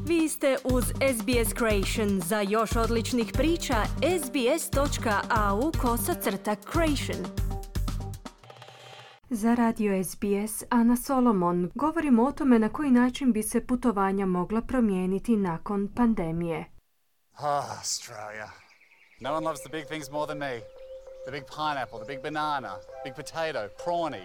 Vi ste uz SBS Creation. Za još odličnih priča, sbs.au/creation. Za radio SBS, Ana Solomon, govorimo o tome na koji način bi se putovanja mogla promijeniti nakon pandemije. Australia. No one loves the big things more than me. The big pineapple, the big banana, big potato, prawny.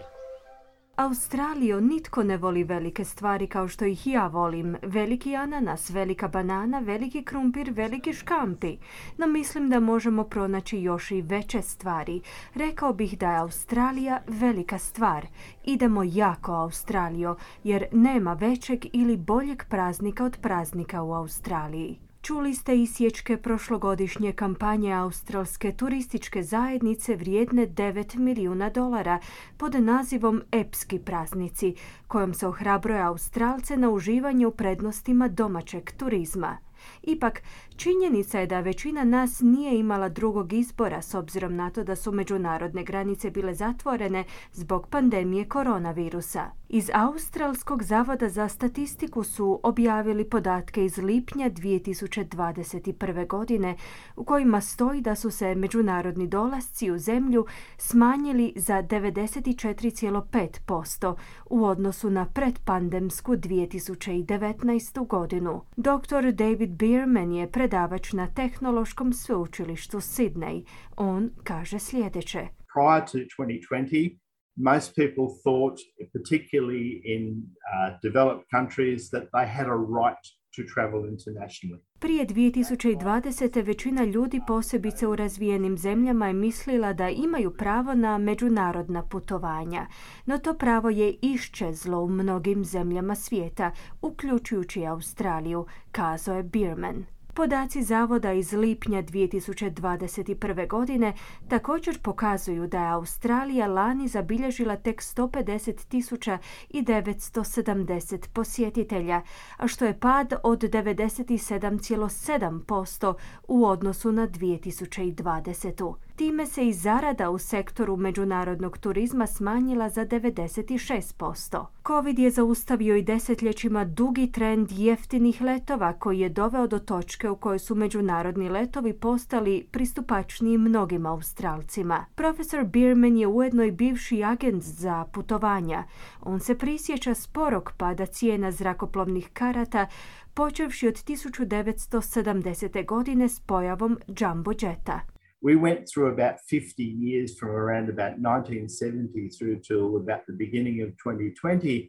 Australijo, nitko ne voli velike stvari kao što ih ja volim. Veliki ananas, velika banana, veliki krumpir, veliki škampi. No mislim da možemo pronaći još i veće stvari. Rekao bih da je Australija velika stvar. Idemo jako Australijo, jer nema većeg ili boljeg praznika od praznika u Australiji. Čuli ste isječke prošlogodišnje kampanje australske turističke zajednice vrijedne $9 milijuna pod nazivom Epski praznici, kojom se ohrabruje Australce na uživanje u prednostima domaćeg turizma. Ipak, činjenica je da većina nas nije imala drugog izbora s obzirom na to da su međunarodne granice bile zatvorene zbog pandemije koronavirusa. Iz Australskog zavoda za statistiku su objavili podatke iz lipnja 2021. godine u kojima stoji da su se međunarodni dolasci u zemlju smanjili za 94,5% u odnosu na predpandemsku 2019. godinu. Dr. David Bierman je predavač na Tehnološkom sveučilištu Sydney. On kaže sljedeće. Prior to 2020, most people thought, particularly in developed countries, that they had a right to travel internationally. Prije 2020. većina ljudi, posebice u razvijenim zemljama, je mislila da imaju pravo na međunarodna putovanja. No to pravo je iščezlo u mnogim zemljama svijeta, uključujući Australiju, kazao je Bierman. Podaci zavoda iz lipnja 2021. godine također pokazuju da je Australija lani zabilježila tek 150.970 posjetitelja, a što je pad od 97,7% u odnosu na 2020. Time se i zarada u sektoru međunarodnog turizma smanjila za 96%. Covid je zaustavio i desetljećima dugi trend jeftinih letova koji je doveo do točke u kojoj su međunarodni letovi postali pristupačniji mnogim Australcima. Profesor Bierman je ujedno i bivši agent za putovanja. On se prisjeća sporog pada cijena zrakoplovnih karata počevši od 1970. godine s pojavom jumbo jeta. We went through about 50 years from around about 1970 through till about the beginning of 2020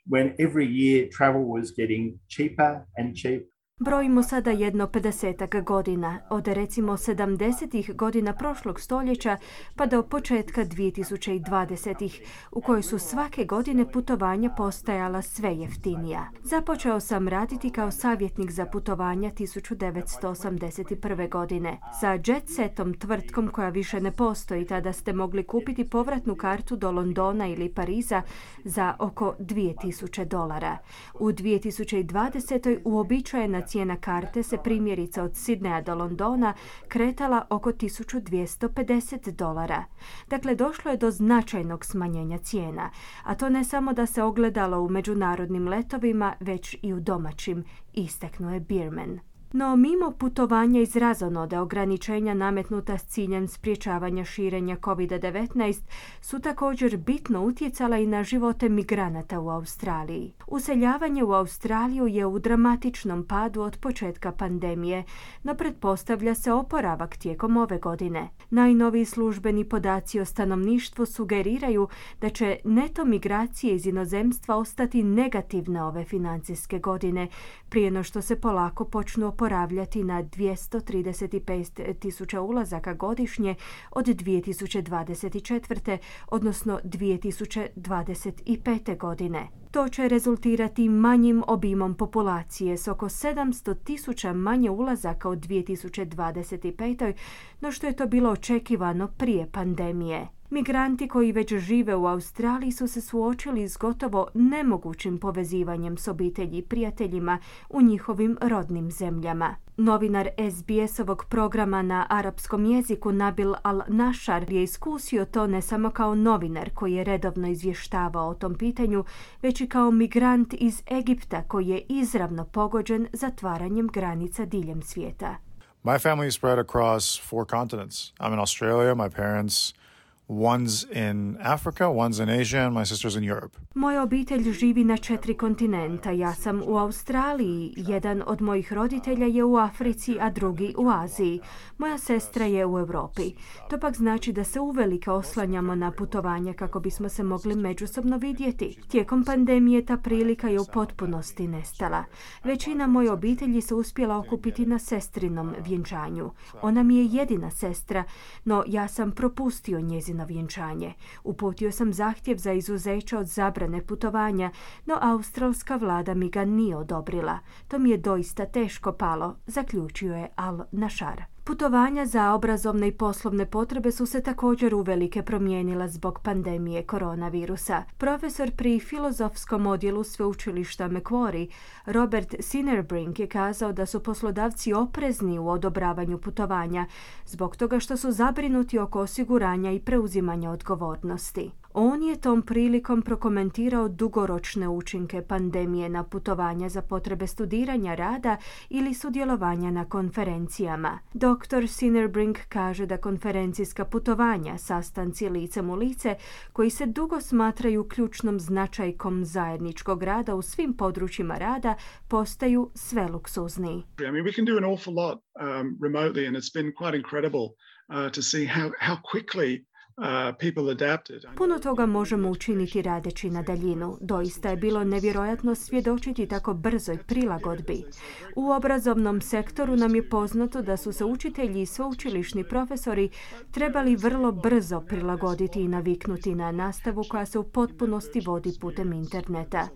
when every year travel was getting cheaper and cheaper. Brojimo sada jedno 50 godina, od recimo 70. godina prošlog stoljeća pa do početka 2020. u kojoj su svake godine putovanja postajala sve jeftinija. Započeo sam raditi kao savjetnik za putovanja 1981. godine. Sa Jetsetom, tvrtkom koja više ne postoji, tada ste mogli kupiti povratnu kartu do Londona ili Pariza za oko $2,000. U 2020. uobičajena cijena karte se primjerice od Sidneja do Londona kretala oko $1,250. Dakle, došlo je do značajnog smanjenja cijena, a to ne samo da se ogledalo u međunarodnim letovima, već i u domaćim, istaknuo je Bierman. No, mimo putovanja iz razonode, ograničenja nametnuta s ciljem sprječavanja širenja COVID-19 su također bitno utjecala i na živote migranata u Australiji. Useljavanje u Australiju je u dramatičnom padu od početka pandemije, no pretpostavlja se oporavak tijekom ove godine. Najnoviji službeni podaci o stanovništvu sugeriraju da će neto migracije iz inozemstva ostati negativne ove financijske godine, prije no što se polako počnu oporavljati na 235.000 ulazaka godišnje od 2024. odnosno 2025. godine. To će rezultirati manjim obimom populacije s oko 700.000 manje ulazaka u 2025. no što je to bilo očekivano prije pandemije. Migranti koji već žive u Australiji su se suočili s gotovo nemogućim povezivanjem s obitelji i prijateljima u njihovim rodnim zemljama. Novinar SBS-ovog programa na arapskom jeziku Nabil Al-Nashar je iskusio to ne samo kao novinar koji je redovno izvještavao o tom pitanju, već i doći kao migrant iz Egipta koji je izravno pogođen zatvaranjem granica diljem svijeta. My family is spread across 4 continents. I'm in Australia, my parents, one's in Africa, one's in Asia, and my sister's in Europe. Moja obitelj živi na 4 kontinenta. Ja sam u Australiji, jedan od mojih roditelja je u Africi, a drugi u Aziji. Moja sestra je u Europi. To pak znači da se uvelike oslanjamo na putovanja kako bismo se mogli međusobno vidjeti. Tijekom pandemije ta prilika je u potpunosti nestala. Većina moje obitelji se uspjela okupiti na sestrinom vjenčanju. Ona mi je jedina sestra, no ja sam propustio njezino vjenčanje. Uputio sam zahtjev za izuzeće od zabrane putovanja, no australska vlada mi ga nije odobrila. To mi je doista teško palo, zaključio je Al-Nashar. Putovanja za obrazovne i poslovne potrebe su se također uvelike promijenila zbog pandemije koronavirusa. Profesor pri filozofskom odjelu sveučilišta Macquarie, Robert Sinnerbrink, je kazao da su poslodavci oprezni u odobravanju putovanja zbog toga što su zabrinuti oko osiguranja i preuzimanja odgovornosti. On je tom prilikom prokomentirao dugoročne učinke pandemije na putovanja za potrebe studiranja, rada ili sudjelovanja na konferencijama. Dr. Sinnerbrink kaže da konferencijska putovanja, sastanci licem u lice, koji se dugo smatraju ključnom značajkom zajedničkog rada u svim područjima rada, postaju sve luksuzniji. I mean, we can do an awful lot remotely, and it's been quite incredible to see how quickly people adapted. Puno toga možemo učiniti radeći na daljinu. Doista je bilo nevjerojatno svjedočiti tako brzoj prilagodbi. U obrazovnom sektoru nam je poznato da su se učitelji i sveučilišni profesori trebali vrlo brzo prilagoditi i naviknuti na nastavu koja se u potpunosti vodi putem interneta.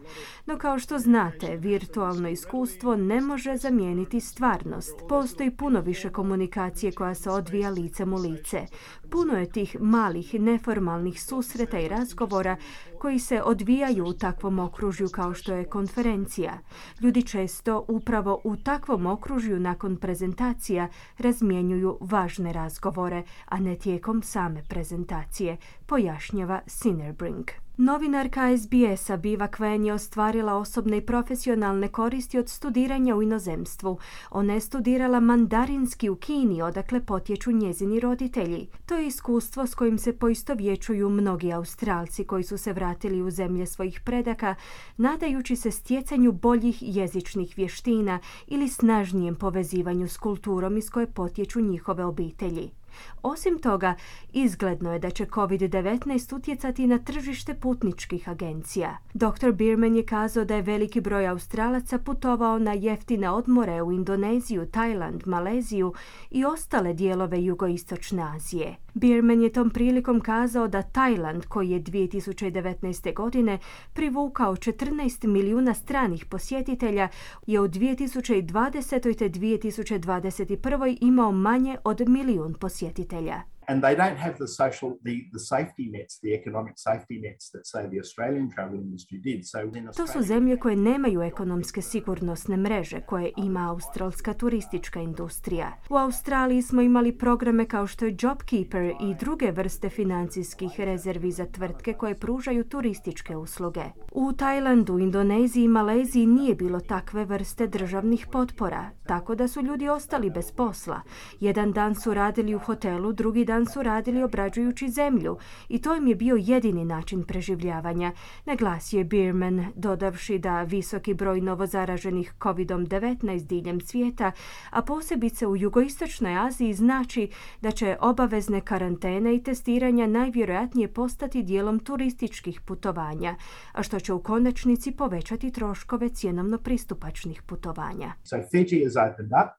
No kao što znate, virtualno iskustvo ne može zamijeniti stvarnost. Postoji puno više komunikacije koja se odvija licem u lice. Puno je tih malih neformalnih susreta i razgovora koji se odvijaju u takvom okružju kao što je konferencija. Ljudi često upravo u takvom okružju nakon prezentacija razmjenjuju važne razgovore, a ne tijekom same prezentacije, pojašnjava Sinnerbrink. Novinarka SBS-a Biva Quen je ostvarila osobne i profesionalne koristi od studiranja u inozemstvu. Ona je studirala mandarinski u Kini, odakle potječu njezini roditelji. To je iskustvo s kojim se poistovjećuju mnogi Australci koji su se vratili u zemlje svojih predaka, nadajući se stjecanju boljih jezičnih vještina ili snažnijem povezivanju s kulturom iz koje potječu njihove obitelji. Osim toga, izgledno je da će COVID-19 utjecati na tržište putničkih agencija. Dr. Bierman je kazao da je veliki broj Australaca putovao na jeftine odmore u Indoneziju, Tajland, Maleziju i ostale dijelove jugoistočne Azije. Bierman je tom prilikom kazao da Tajland, koji je 2019. godine privukao 14 milijuna stranih posjetitelja, je u 2020. te 2021. imao manje od milijun posjetitelja. And they don't have the safety nets, the economic safety nets that say the Australian travel industry did. To su zemlje koje nemaju ekonomske sigurnosne mreže koje ima australska turistička industrija. U Australiji smo imali programe kao što je JobKeeper i druge vrste financijskih rezervi za tvrtke koje pružaju turističke usluge. U Tajlandu, Indoneziji i Maleziji nije bilo takve vrste državnih potpora, tako da su ljudi ostali bez posla. Jedan dan su radili u hotelu, drugi dan su radili obrađujući zemlju i to im je bio jedini način preživljavanja, naglasio je Bierman, dodavši da visoki broj novozaraženih COVID-19 diljem svijeta, a posebice u jugoistočnoj Aziji, znači da će obavezne karantene i testiranja najvjerojatnije postati dijelom turističkih putovanja, a što će u konačnici povećati troškove cjenovno pristupačnih putovanja. So Fiji has opened up.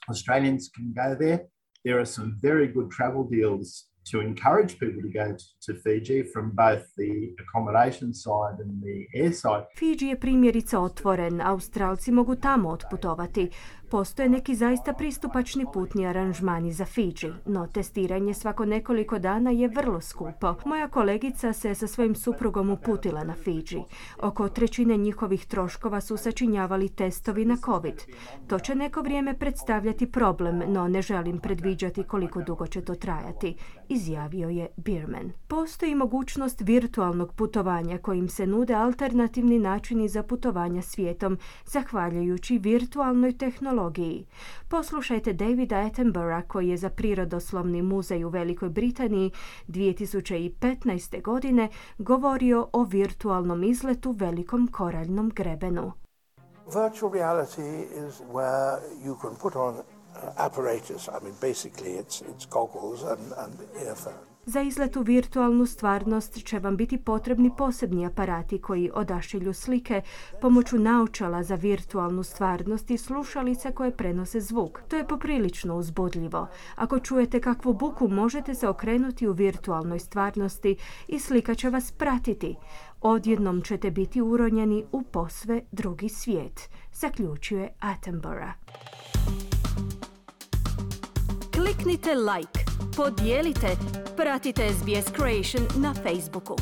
Australians can go there. There are some very good travel deals to encourage people to go to Fiji from both the accommodation side and the air side. Fiji je primjerice otvoren, Australci mogu tamo otputovati. Postoje neki zaista pristupačni putni aranžmani za Fidži, no testiranje svako nekoliko dana je vrlo skupo. Moja kolegica se sa svojim suprugom uputila na Fidži. Oko 1/3 njihovih troškova su sačinjavali testovi na COVID. To će neko vrijeme predstavljati problem, no ne želim predviđati koliko dugo će to trajati, izjavio je Bierman. Postoji mogućnost virtualnog putovanja kojim se nude alternativni načini za putovanja svijetom, zahvaljujući virtualnoj tehnologiji. Poslušajte Davida Attenborougha, koji je za Prirodoslovni muzej u Velikoj Britaniji 2015. godine govorio o virtualnom izletu Velikom koraljnom grebenu. Virtual reality is where you can put on apparatus. I mean, basically it's goggles and earphones. Za izlet u virtualnu stvarnost će vam biti potrebni posebni aparati koji odašilju slike pomoću naočala za virtualnu stvarnost i slušalice koje prenose zvuk. To je poprilično uzbudljivo. Ako čujete kakvu buku, možete se okrenuti u virtualnoj stvarnosti i slika će vas pratiti. Odjednom ćete biti uronjeni u posve drugi svijet, zaključuje Attenborough. Kliknite like, podijelite, pratite SBS Creation na Facebooku.